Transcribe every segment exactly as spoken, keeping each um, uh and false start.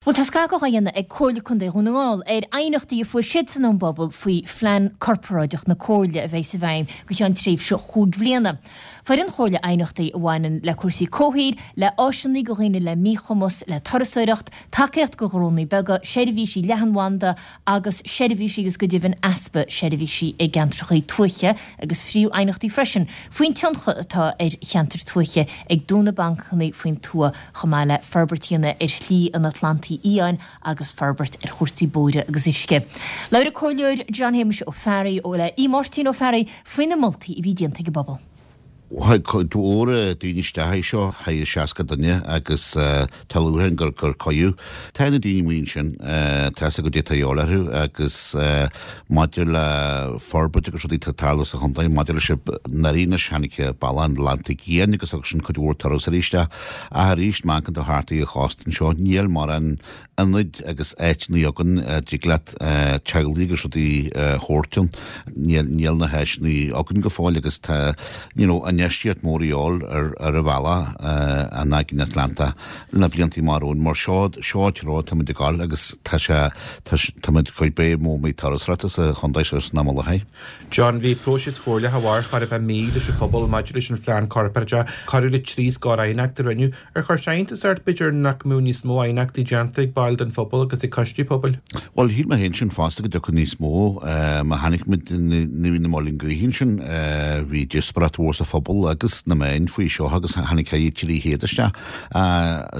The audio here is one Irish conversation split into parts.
Bhuel, tá scagadh á dhéanamh ag Comhairle Contae Dhún na nGall ar aighneachtaí a fuair siadsan ón bpobal faoi phlean corparáideach na Comhairle a bheidh i bhfeidhm go ceann tréimhse chúig bhliana. Fuair an Chomhairle aighneachtaí a bhaineann le cúrsaí comhshaoil, le áiseanna do dhaoine le míchumas, le turasóireacht, tacaíocht do ghnónna beaga, seirbhísí leathanbhanda agus seirbhísí agus go deimhin easpa seirbhísí i gceantracha tuaithe agus phríomh-aighneachtaí freisin faoin tionchar atá ar cheantair tuaithe ag dúnadh bancanna faoin tuath chomh maith le forbairt a dhéanamh ar Shlí an Atlantaigh Fhiáin agus forbairt ar chúrsaí bóithre agus uisce. Labhair an Comhairleoir John Shéamuis Ó Fearraigh ó le Aodh Máirtín Ó Fearraigh faoi na moltaí a bhí déanta ag an bpobal. Tháinig cuid mhór daoine isteach é seo, thar seasca duine agus tá lúcháir orainn gur gur cuireadh. Tá na daoine amuigh ansin, tá a fhios acu goidé atá a dhíobháil orthu agus maidir le forbairt agus rudaí atá ag tarlú sa chontae, maidir leis an anois tháinig Bealach an Atlantaigh Fhiáin agus agus sin cuid mhór turasóirí isteach. Ach arís, má amharcann tú thart ar an chósta anseo, níl mórán ionaid agus áiteanna againn a dtig leat teaghlaigh agus rudaí a thabhairt ann. Níl níl na háiseanna againn go fóill agus tá you know, infheistíocht mór a dhíobháil ar ar an bhealach an Aigéan Atlantach na blianta amach romhainn mar seo seo an treo táimid ag gabháil agus tá sé táimid chuid bé mó méid turasóireachta sa chontae seo san am i láthair. John, bhí próiseas comhairleach a mhair chóir a bheith mí leis an phobal maidir leis an phlean corparáideach corradh le trí scór aighneacht a rinneadh. Ar chuir sé iontas ort b'fhéidir nach mbeadh níos mó aighneachtaí déanta ag baill den phobal agus ag coistí pobail? Bhuel, shíl mé féin sin fosta go dtiocfadh níos mó. Má chonaic muid ní na Muileann gCaoch ansin, bhí díospóireacht mhór sa phobal agus na meáin faoi seo agus tháinig thar trí chéad isteach.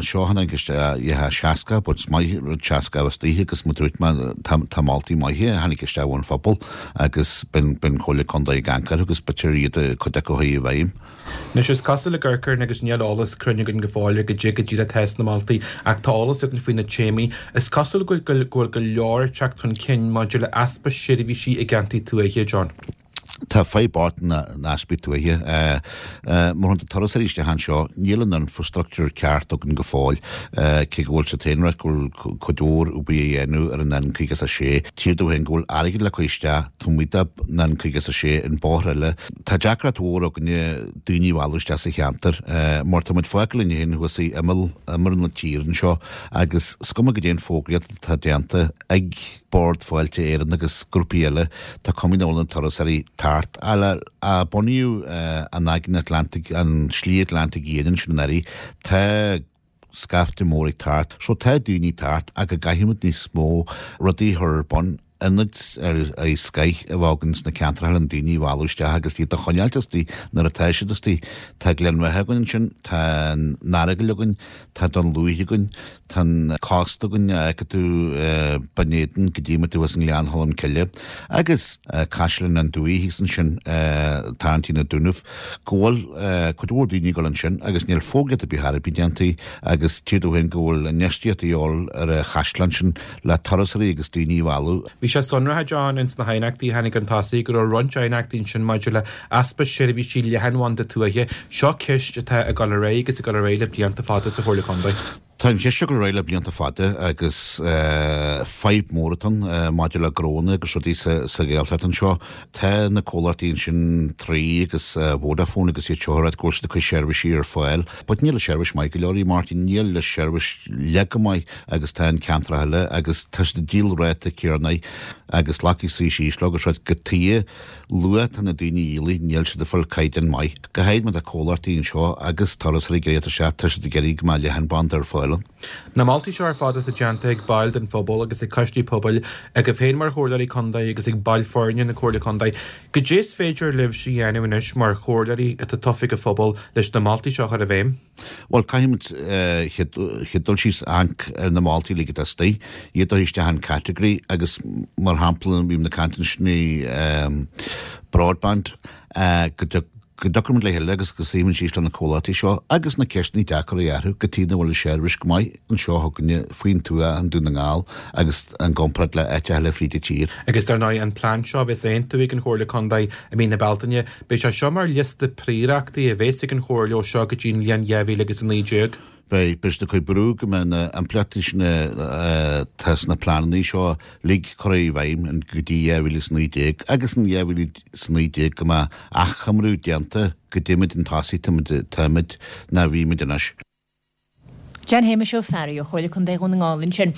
Seo tháinig isteach seasca, but is maith rud seasca agus daoithe agus mar dúirt mé tá moltaí maithe a tháinig isteach ón phobal agus b'in Comhairle Contae ag amharc orthu agus b'fhéidir iad cuid acu a chur i bhfeidhm. Anois is cosúil le gur cuireadh agus níl eolas cruinn againn go fóill ar goidé go díreach atá sna moltaí ach tá eolas againn faoi na téamaí. Is cosúil go bhfuil go leor ag teacht chun cinn maidir le easpa seirbhísí i gceantair tuaithe, John. Tá fadhb bocht na n-easpaí tuaithe. Mar shampla turasóirí isteach anseo, níl an infrastructure ceart againn go fóill, cé go bhfuil sé féin ráite go bhfuil cuid mhór obair a dhéanamh ar an N caoga is a sé. Tír dó féin go bhfuil airgead le cur isteach taobh amuigh den N caoga is a sé an bóthar eile. Tá deacracht mhór againne daoine a mhealladh isteach sa cheantar, mar tá muid fágtha linn féin thuas i imeall imeall na tíre anseo agus is cuma goidé an fógraíocht atá déanta ag Bord Fáilte Éireann agus grúpaí eile, tá cuma nach bhfuil na turasóirí thart. Le a bunaíodh an Aigéan Atlantaigh, an Slí Atlantaigh Fhiáin ansin anuraidh, tá scaifte mór ag teacht. So tá daoine ag teacht ach go gcaithfimid níos mó rudaí a chur ar bun, ionaid ar ar scoith a bheith againn sna ceantracha le daoine a mhealladh isteach agus iad a choinneáilt istigh nuair atá siad istigh. Tá Gleann Bheatha againn ansin, tá an Earagail againn, tá Dún Lúiche againn, Tá an cósta againn a fheiceann tú Binn Éadain go dtí muid thuas i nGleann Cholm Cille agus Caisleán an Dúiche thíos ansin tarraingtí na Dúnaibh go bhfuil cuid mhór daoine ag dul ansin agus níl fógraíocht ar bith ar bith déanta agus tír dó féin go bhfuil infheistíocht a dhíobháil ar an chaisleán sin le turasóirí agus daoine a mhealladh. Bhí sé sonraithe, John, ins na haighneachtaí a tháinig chun tosaigh go raibh roinnt aighneachtaí ansin maidir le easpa seirbhísí leathanbhanda tuaithe. Seo ceist atá ag dul ar aghaidh agus ag dul ar aghaidh le blianta fada sa Chomhairle Contae. Tá an cheist seo ag dul ar aghaidh le blianta fada agus fadhb mór atá ann maidir le gnónna agus rudaí sa Ghaeltacht anseo. Tá na comhlachtaí ansin Three agus Vodafone agus iad seo ag ráit go bhfuil siad ag cur seirbhísí ar fáil. But níl an seirbhís maith go leor í Martin, níl an seirbhís leath go maith agus tá in ceantracha eile agus tá siad ag díol ráta céanna agus glacfaidh suí síos leo agus rud go tuighe luath tá na daoine a dhíolfaidh níl siad ag fáil caighdeán maith. Go háirid má tá comhlachtaí anseo agus turasóirí ag iarraidh isteach, tá siad ag iarraidh go mbeadh leathanbhanda ar fáil ann. Na moltaí seo ar fad atá déanta ag baill den phobal agus ag coistí pobail, agaibh féin mar Chomhairleoirí Contae agus ag baill foirne na Comhairle Contae, goidé is féidir libhse a dhéanamh anois mar chomhairleoirí atá tofa ag an phobal leis na moltaí seo a chur i bhfeidhm? Bhuel, caithfimid chéad dul síos amharc ar na moltaí uilig atá istigh, iad a chur isteach in category agus mar shampla bhí na caint ansin broadband, go go dtiocfaimid le chéile agus go suífimid síos le na comhlachtaí seo agus na ceisteanna deacra a athrú cad chuige nach bhfuil an seirbhís go maith anseo chugainne faoin tuath i nDún na nGall agus in gcomparáid le áiteacha eile fríd an tír. Agus dar ndóigh an plean seo a bheas á aontú ag an Chomhairle Contae i mí na Bealtaine, beidh sé seo mar liosta príorachtaí a bheas ag an Chomhairle ó seo go dtí an bhliain dhá mhíle agus a naoi déag. Beidh siad ag cur brú go mbeidh na impleachtaí sin atá sna pleananna seo uilig curtha i bhfeidhm go dtí dhá mhíle is a naoi déag agus in dhá mhíle is a naoi déag go mbeidh achoimriú déanta goidé chun tosaigh táimid ná bhímid anois. John Shéamuis Ó Fearraigh ó Chomhairle Contae Dhún na nGall ansin.